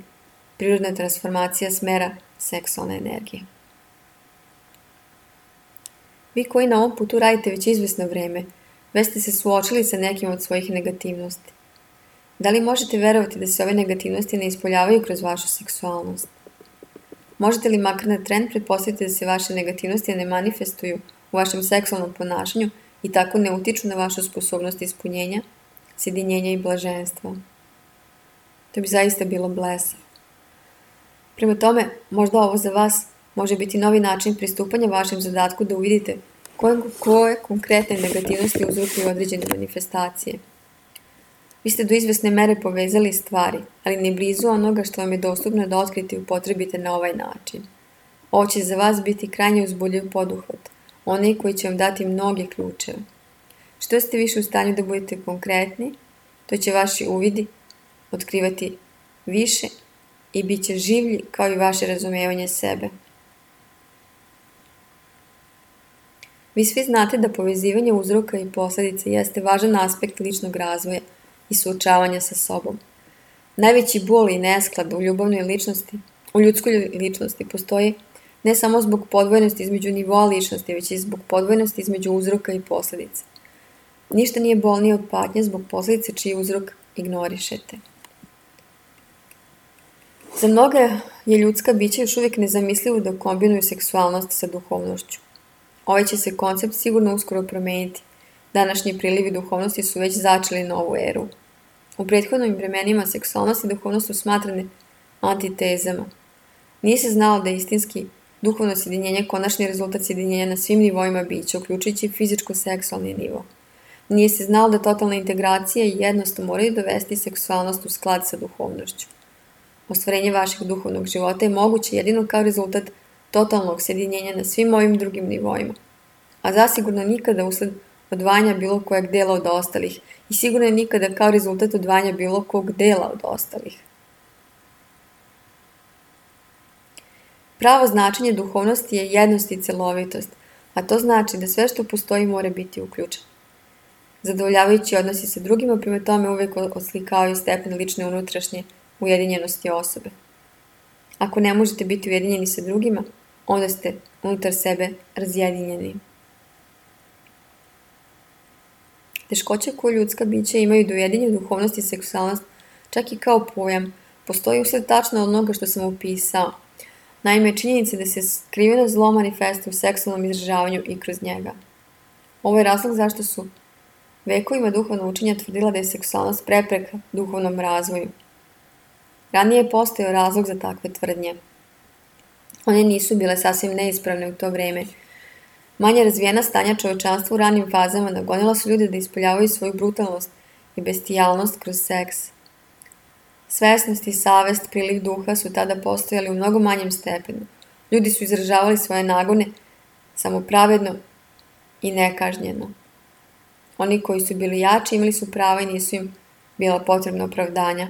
prirodna transformacija smera seksualne energije. Vi koji na ovom putu radite već izvesno vreme, već ste se suočili sa nekim od svojih negativnosti. Da li možete verovati da se ove negativnosti ne ispoljavaju kroz vašu seksualnost? Možete li makar na tren pretpostaviti da se vaše negativnosti ne manifestuju u vašem seksualnom ponašanju i tako ne utiču na vašu sposobnost ispunjenja, sjedinjenja i blaženstva? To bi zaista bilo blesavo. Prema tome, možda ovo za vas može biti novi način pristupanja vašem zadatku da uvidite koje, koje konkretne negativnosti uzrokuju određene manifestacije. Vi ste do izvesne mere povezali stvari, ali ne blizu onoga što vam je dostupno da otkrite i upotrebite na ovaj način. Ovo će za vas biti krajnje uzbudljiv poduhvat, onaj koji će vam dati mnoge ključeve. Što ste više u stanju da budete konkretni, to će vaši uvidi otkrivati više i bit će življi kao i vaše razumevanje sebe. Vi svi znate da povezivanje uzroka i posljedica jeste važan aspekt ličnog razvoja i suočavanja sa sobom. Najveći bol i nesklad u ljubavnoj ličnosti, u ljudskoj ličnosti postoji ne samo zbog podvojenosti između nivoa ličnosti, već i zbog podvojenosti između uzroka i posljedice. Ništa nije bolnije od patnje zbog posljedice čiji uzrok ignorišete. Za mnoge je ljudska bića još uvijek nezamislivo da kombinuju seksualnost sa duhovnošću. Ovaj će se koncept sigurno uskoro promeniti. Današnji prilivi duhovnosti su već začeli novu eru. U prethodnim vremenima seksualnost i duhovnost su smatrane antitezama. Nije se znalo da je istinski duhovno sjedinjenje konačni rezultat sjedinjenja na svim nivoima bića, uključujući fizičko-seksualni nivo. Nije se znalo da totalna integracija i jednost moraju dovesti seksualnost u sklad sa duhovnošću. Ostvarenje vašeg duhovnog života je moguće jedino kao rezultat totalnog sjedinjenja na svim ovim drugim nivoima, a zasigurno nikada usled odvajanja bilo kojeg dela od ostalih i sigurno je nikada kao rezultat odvajanja bilo kog dela od ostalih. Pravo značenje duhovnosti je jednost i celovitost, a to znači da sve što postoji mora biti uključeno. Zadovoljavajući odnosi sa drugima prema tome uvijek oslikavaju stepen lične unutrašnje ujedinjenosti osobe. Ako ne možete biti ujedinjeni sa drugima, onda ste unutar sebe razjedinjeni. Teškoće koje ljudska bića imaju da ujedinju duhovnost i seksualnost, čak i kao pojam, postoji usled tačno onoga što sam opisao. Naime, činjenica da se skriveno zlo manifestuje u seksualnom izražavanju i kroz njega. Ovo je razlog zašto su vekovima duhovno učenja tvrdila da je seksualnost prepreka duhovnom razvoju. Ranije je postojao razlog za takve tvrdnje. One nisu bile sasvim neispravne u to vreme. Manje razvijena stanja čovečanstva u ranim fazama nagonila su ljude da ispoljavaju svoju brutalnost i bestijalnost kroz seks. Svesnost i savest, priliv duha su tada postojali u mnogo manjem stepenu. Ljudi su izražavali svoje nagone samo pravedno i nekažnjeno. Oni koji su bili jači imali su prava i nisu im bila potrebna opravdanja.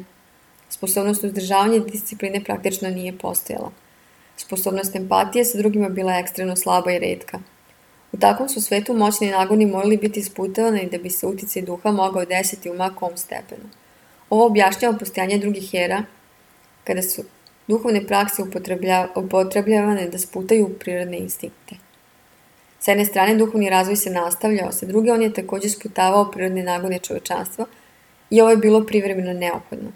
Sposobnost uzdržavanja i discipline praktično nije postojala. Sposobnost empatije sa drugima bila ekstremno slaba i retka. U takvom su svetu moćni nagoni morali biti isputavani da bi se uticaj duha mogao desiti u ma kom stepenu. Ovo objašnjava postojanje drugih era, kada su duhovne prakse upotrebljavane da sputaju prirodne instinkte. S jedne strane, duhovni razvoj se nastavljao, sa druge on je također sputavao prirodne nagone čovečanstva i ovo je bilo privremeno neophodno.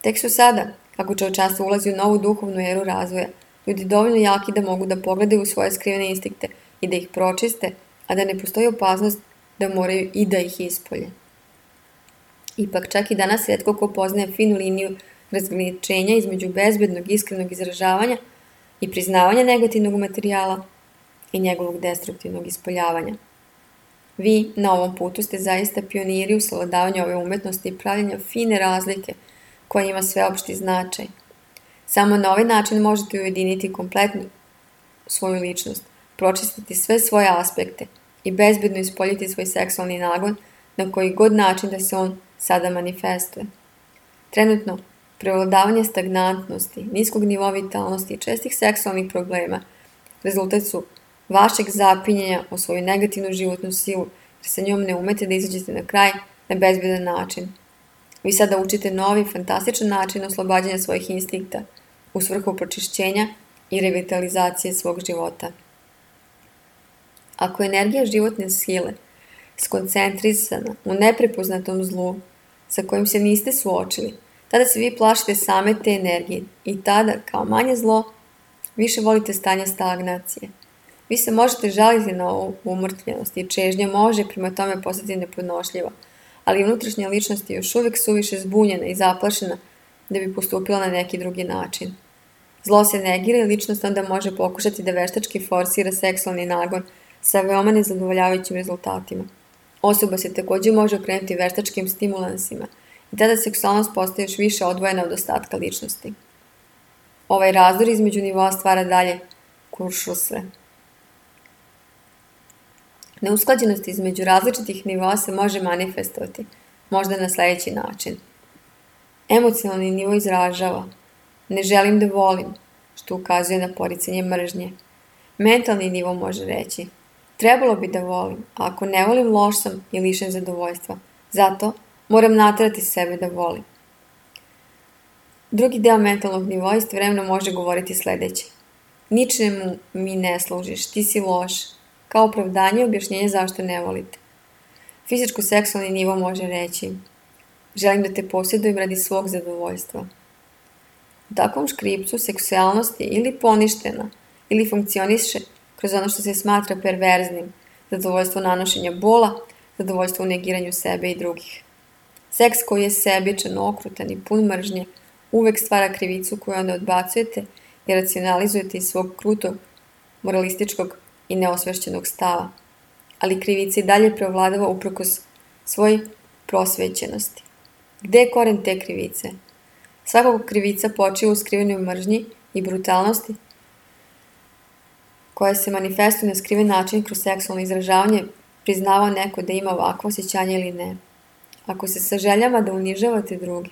Tek su sada, kako čovečanstvo ulazi u novu duhovnu eru razvoja, ljudi dovoljno jaki da mogu da pogledaju u svoje skrivene instinkte i da ih pročiste, a da ne postoji opasnost da moraju i da ih ispolje. Ipak, čak i danas rijetko ko poznaje finu liniju razgraničenja između bezbednog iskrenog izražavanja i priznavanja negativnog materijala i njegovog destruktivnog ispoljavanja. Vi na ovom putu ste zaista pioniri u savladavanju ove umetnosti i pravljenja fine razlike koja ima sveopšti značaj. Samo na ovaj način možete ujediniti kompletnu svoju ličnost, pročistiti sve svoje aspekte i bezbedno ispoljiti svoj seksualni nagon na koji god način da se on sada manifestuje. Trenutno, prevladavanje stagnantnosti, niskog nivoa vitalnosti i čestih seksualnih problema rezultat su vašeg zapinjenja o svoju negativnu životnu silu, jer sa njom ne umete da izađete na kraj na bezbedan način. Vi sada učite novi, fantastičan način oslobađanja svojih instinkta u svrhu pročišćenja i revitalizacije svog života. Ako je energija životne sile skoncentrisana u neprepoznatom zlu sa kojim se niste suočili, tada se vi plašite same te energije i tada, kao manje zlo, više volite stanje stagnacije. Vi se možete žaliti na ovu umrtljenost i čežnja može prema tome postati nepodnošljiva, ali unutrašnja ličnost je još uvijek suviše zbunjena i zaplašena da bi postupila na neki drugi način. Zlo se negira i ličnost onda može pokušati da veštački forsira seksualni nagon sa veoma nezadovoljavajućim rezultatima. Osoba se također može okrenuti veštačkim stimulansima i tada seksualnost postaje još više odvojena od ostatka ličnosti. Ovaj razdor između nivoa stvara dalje kuršusre. Neusklađenost između različitih nivoa se može manifestovati, možda na sljedeći način. Emocionalni nivo izražava ne želim da volim, što ukazuje na poricanje mržnje. Mentalni nivo može reći trebalo bi da volim, a ako ne volim loš sam i lišen zadovoljstva. Zato moram naterati sebe da volim. Drugi deo mentalnog nivoa istovremeno može govoriti sljedeće. Ničemu mi ne služiš, ti si loš, kao opravdanje i objašnjenje zašto ne volite. Fizičko-seksualni nivo može reći želim da te posjedujem radi svog zadovoljstva. U takvom škripcu seksualnost je ili poništena, ili funkcioniše kroz ono što se smatra perverznim, zadovoljstvo nanošenja bola, zadovoljstvo u negiranju sebe i drugih. Seks koji je sebičan, okrutan i pun mržnje uvek stvara krivicu koju onda odbacujete i racionalizujete iz svog krutog, moralističkog i neosvešćenog stava. Ali krivica i dalje preovladava uprkos svoj prosvećenosti. Gde je koren te krivice? Svakog krivica počiva u skrivenoj mržnji i brutalnosti koja se manifestuje na skriven način kroz seksualno izražavanje, priznavao neko da ima ovakvo osjećanje ili ne. Ako se saželjava da unižavate druge,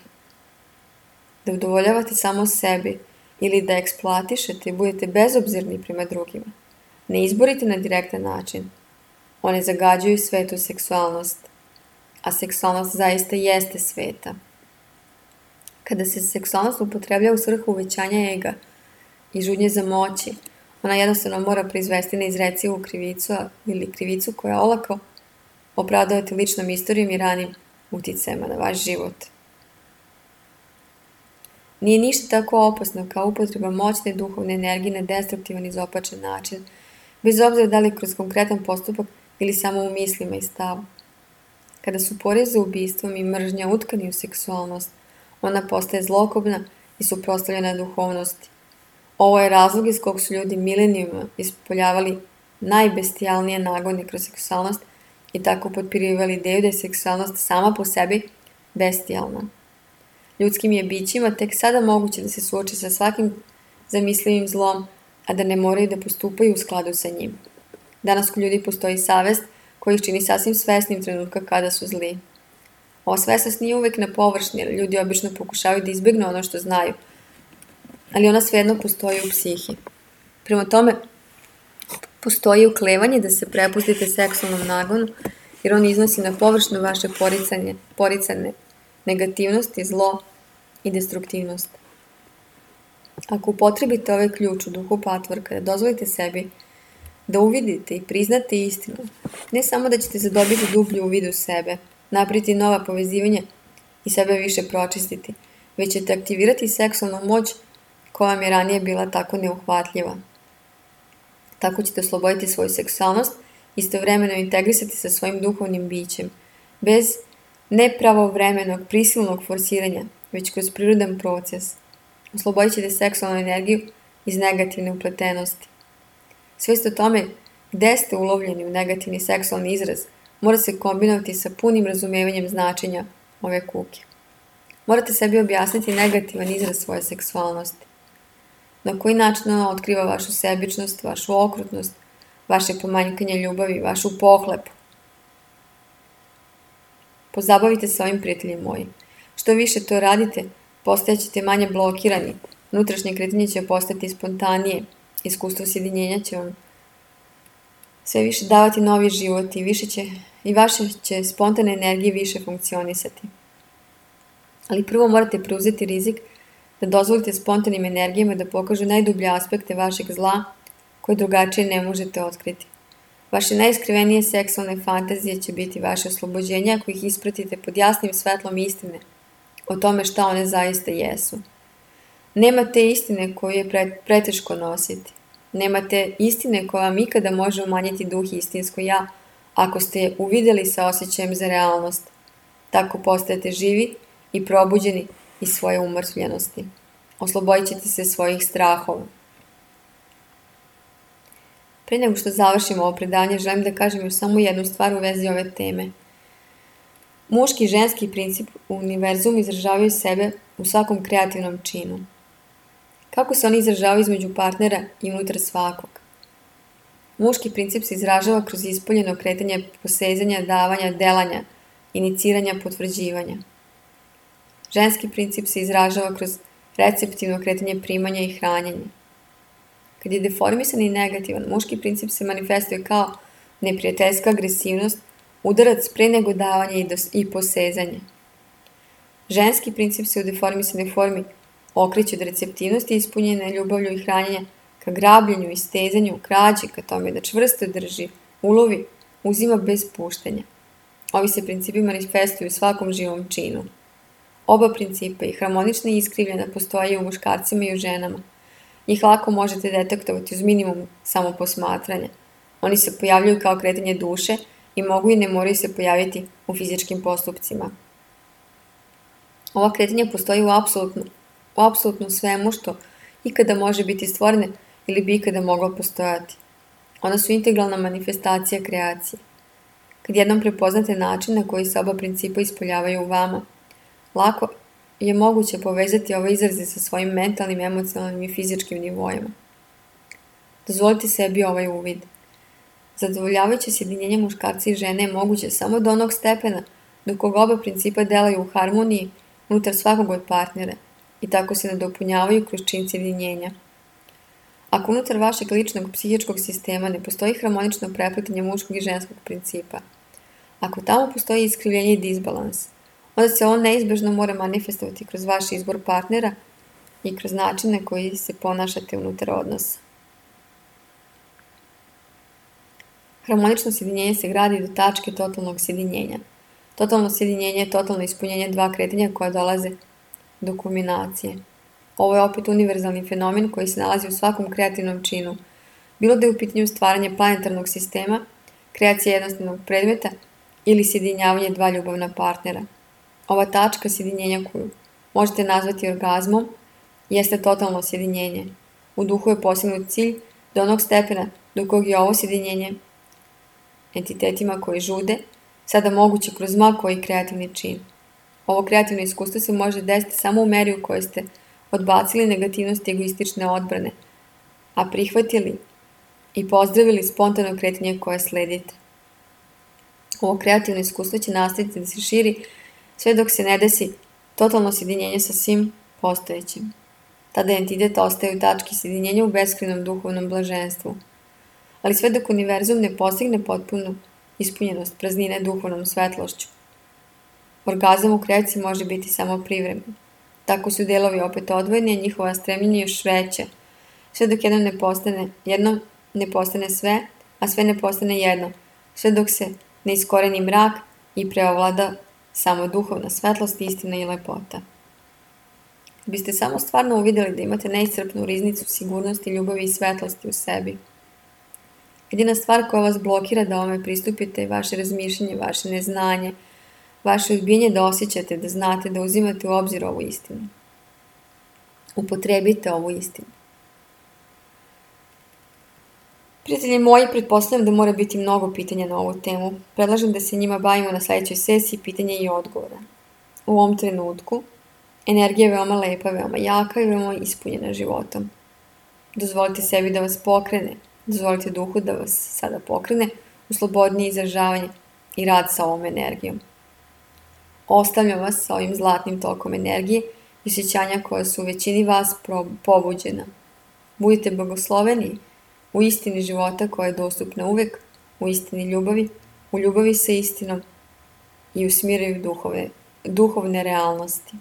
da udovoljavate samo sebi ili da eksploatišete i budete bezobzirni prema drugima, ne izborite na direktan način. One zagađuju svetu seksualnost, a seksualnost zaista jeste sveta. Kada se seksualnost upotrebljava u svrhu uvećanja ega i žudnje za moći, ona jednostavno mora proizvesti neizrecivu krivicu ili krivicu koja olako opravdavati ličnom istorijom i ranim uticajima na vaš život. Nije ništa tako opasno kao upotreba moćne duhovne energije na destruktivan i izopačen način, bez obzira da li kroz konkretan postupak ili samo u mislima i stavu. Kada su porezi za ubistvom i mržnja utkani u seksualnost, ona postaje zlokobna i suprotstavljena duhovnosti. Ovo je razlog iz kog su ljudi milenijuma ispoljavali najbestijalnije nagone kroz seksualnost i tako potpirivali ideju da je seksualnost sama po sebi bestijalna. Ljudskim je bićima tek sada moguće da se suoče sa svakim zamislivim zlom, a da ne moraju da postupaju u skladu sa njim. Danas kod ljudi postoji savest koji ih čini sasvim svesnim trenutka kada su zli. Ova svesnost nije uvek na površini, jer ljudi obično pokušavaju da izbjegnu ono što znaju, ali ona svejedno postoji u psihi. Prema tome, postoji uklevanje da se prepustite seksualnom nagonu, jer on iznosi na površinu vaše poricanje, poricane negativnosti, zlo i destruktivnost. Ako upotrebite ovaj ključ u duhu patvorka, da dozvolite sebi da uvidite i priznate istinu, ne samo da ćete zadobiti dublju uvid u sebe, napraviti nova povezivanja i sebe više pročistiti, već ćete aktivirati seksualnu moć koja vam je ranije bila tako neuhvatljiva. Tako ćete osloboditi svoju seksualnost i istovremeno integrisati sa svojim duhovnim bićem, bez nepravovremenog, prisilnog forsiranja, već kroz prirodan proces. Oslobodit ćete seksualnu energiju iz negativne upletenosti. Svijest o tome gde ste ulovljeni u negativni seksualni izraz mora se kombinovati sa punim razumevanjem značenja ove kuke. Morate sebi objasniti negativan izraz svoje seksualnosti. Na koji način ona otkriva vašu sebičnost, vašu okrutnost, vaše pomanjkanje ljubavi, vašu pohlepu. Pozabavite se ovim, prijatelji moji. Što više to radite, postajaćete manje blokirani, unutrašnje kretanje će postati spontanije, iskustvo sjedinjenja će vam sve više davati novi život i, više će, i vaše će spontane energije više funkcionisati. Ali prvo morate preuzeti rizik da dozvolite spontanim energijama da pokažu najdublje aspekte vašeg zla koje drugačije ne možete otkriti. Vaše najiskrivenije seksualne fantazije će biti vaše oslobođenje ako ih ispratite pod jasnim svetlom istine o tome šta one zaista jesu. Nema te istine koju je preteško nositi. Nema te istine koja vam ikada može umanjiti duh i istinsko ja ako ste je uvidjeli sa osjećajem za realnost. Tako postajete živi i probuđeni iz svoje umrtvljenosti. Oslobodit ćete se svojih strahova. Prije nego što završimo ovo predanje, želim da kažem još samo jednu stvar u vezi ove teme. Muški i ženski princip u univerzumu izražavaju sebe u svakom kreativnom činu. Kako se oni izražavaju između partnera i unutar svakog? Muški princip se izražava kroz ispoljeno kretanje posezanja, davanja, delanja, iniciranja, potvrđivanja. Ženski princip se izražava kroz receptivno kretanje primanja i hranjenja. Kad je deformisan i negativan, muški princip se manifestuje kao neprijateljska agresivnost, udarac pre nego davanja i, dos, i posezanje. Ženski princip se u deformisanoj formi okreće od receptivnosti ispunjene ljubavlju i hranjenja ka grabljenju i stezanju, krađi, ka tome da čvrsto drži, ulovi, uzima bez puštenja. Ovi se principi manifestuju u svakom živom činu. Oba principa, i harmonična i iskrivljena, postoje u muškarcima i u ženama. Njih lako možete detektovati uz minimum samoposmatranja. Oni se pojavljuju kao kretanje duše i mogu i ne moraju se pojaviti u fizičkim postupcima. Ova kretanja postoji u apsolutno, u apsolutno svemu što ikada može biti stvorene ili bi ikada moglo postojati. Ona su integralna manifestacija kreacije. Kad jednom prepoznate način na koji se oba principa ispoljavaju u vama, lako je moguće povezati ove izraze sa svojim mentalnim, emocionalnim i fizičkim nivoima. Dozvolite sebi ovaj uvid. Zadovoljavajuće sjedinjenje muškarca i žene je moguće samo do onog stepena dok oba principa delaju u harmoniji unutar svakog od partnera i tako se nadopunjavaju kroz čin sjedinjenja. Ako unutar vašeg ličnog psihičkog sistema ne postoji harmonično prepletanje muškog i ženskog principa, ako tamo postoji iskrivljenje i disbalans, onda se on neizbežno mora manifestovati kroz vaš izbor partnera i kroz način na koji se ponašate unutar odnosa. Harmonično sjedinjenje se gradi do tačke totalnog sjedinjenja. Totalno sjedinjenje je totalno ispunjenje dva kretanja koja dolaze do kulminacije. Ovo je opet univerzalni fenomen koji se nalazi u svakom kreativnom činu. Bilo da je u pitanju stvaranje planetarnog sistema, kreacija jednostavnog predmeta ili sjedinjavanje dva ljubavna partnera. Ova tačka sjedinjenja koju možete nazvati orgazmom jeste totalno sjedinjenje. U duhu je postignut cilj do onog stepena do kog je ovo sjedinjenje entitetima koji žude sada moguće kroz ma koji kreativni čin. Ovo kreativno iskustvo se može desiti samo u meri u kojoj ste odbacili negativnost egoistične odbrane, a prihvatili i pozdravili spontano kretanje koje sledite. Ovo kreativno iskustvo će nastaviti da se širi sve dok se ne desi totalno sjedinjenje sa svim postojećim. Tada entitet ostaje u tački sjedinjenja u beskrajnom duhovnom blaženstvu. Ali sve dok univerzum ne postigne potpunu ispunjenost praznine duhovnom svetlošću. Orgazam u kreaciji može biti samo privremen. Tako su delovi opet odvojeni, a njihova stremljenja još veća, sve dok jedno ne postane, jedno ne postane sve, a sve ne postane jedno, sve dok se ne iskoreni mrak i preovlada samo duhovna svetlost, istina i lepota. Biste samo stvarno uvidjeli da imate neiscrpnu riznicu sigurnosti, ljubavi i svetlosti u sebi. Jedina stvar koja vas blokira da ovome pristupite je vaše razmišljanje, vaše neznanje, vaše odbijenje da osjećate, da znate, da uzimate u obzir ovu istinu. Upotrebite ovu istinu. Prijatelji moji, pretpostavljam da mora biti mnogo pitanja na ovu temu. Predlažem da se njima bavimo na sljedećoj sesiji pitanja i odgovora. U ovom trenutku energija je veoma lepa, veoma jaka i veoma ispunjena životom. Dozvolite sebi da vas pokrene, dozvolite duhu da vas sada pokrene u slobodnije izražavanje i rad sa ovom energijom. Ostavljam vas sa ovim zlatnim tokom energije i osjećanja koja su u većini vas pobuđena. Budite blagosloveni u istini života koja je dostupna uvek, u istini ljubavi, u ljubavi sa istinom i u smiraju duhove, duhovne realnosti.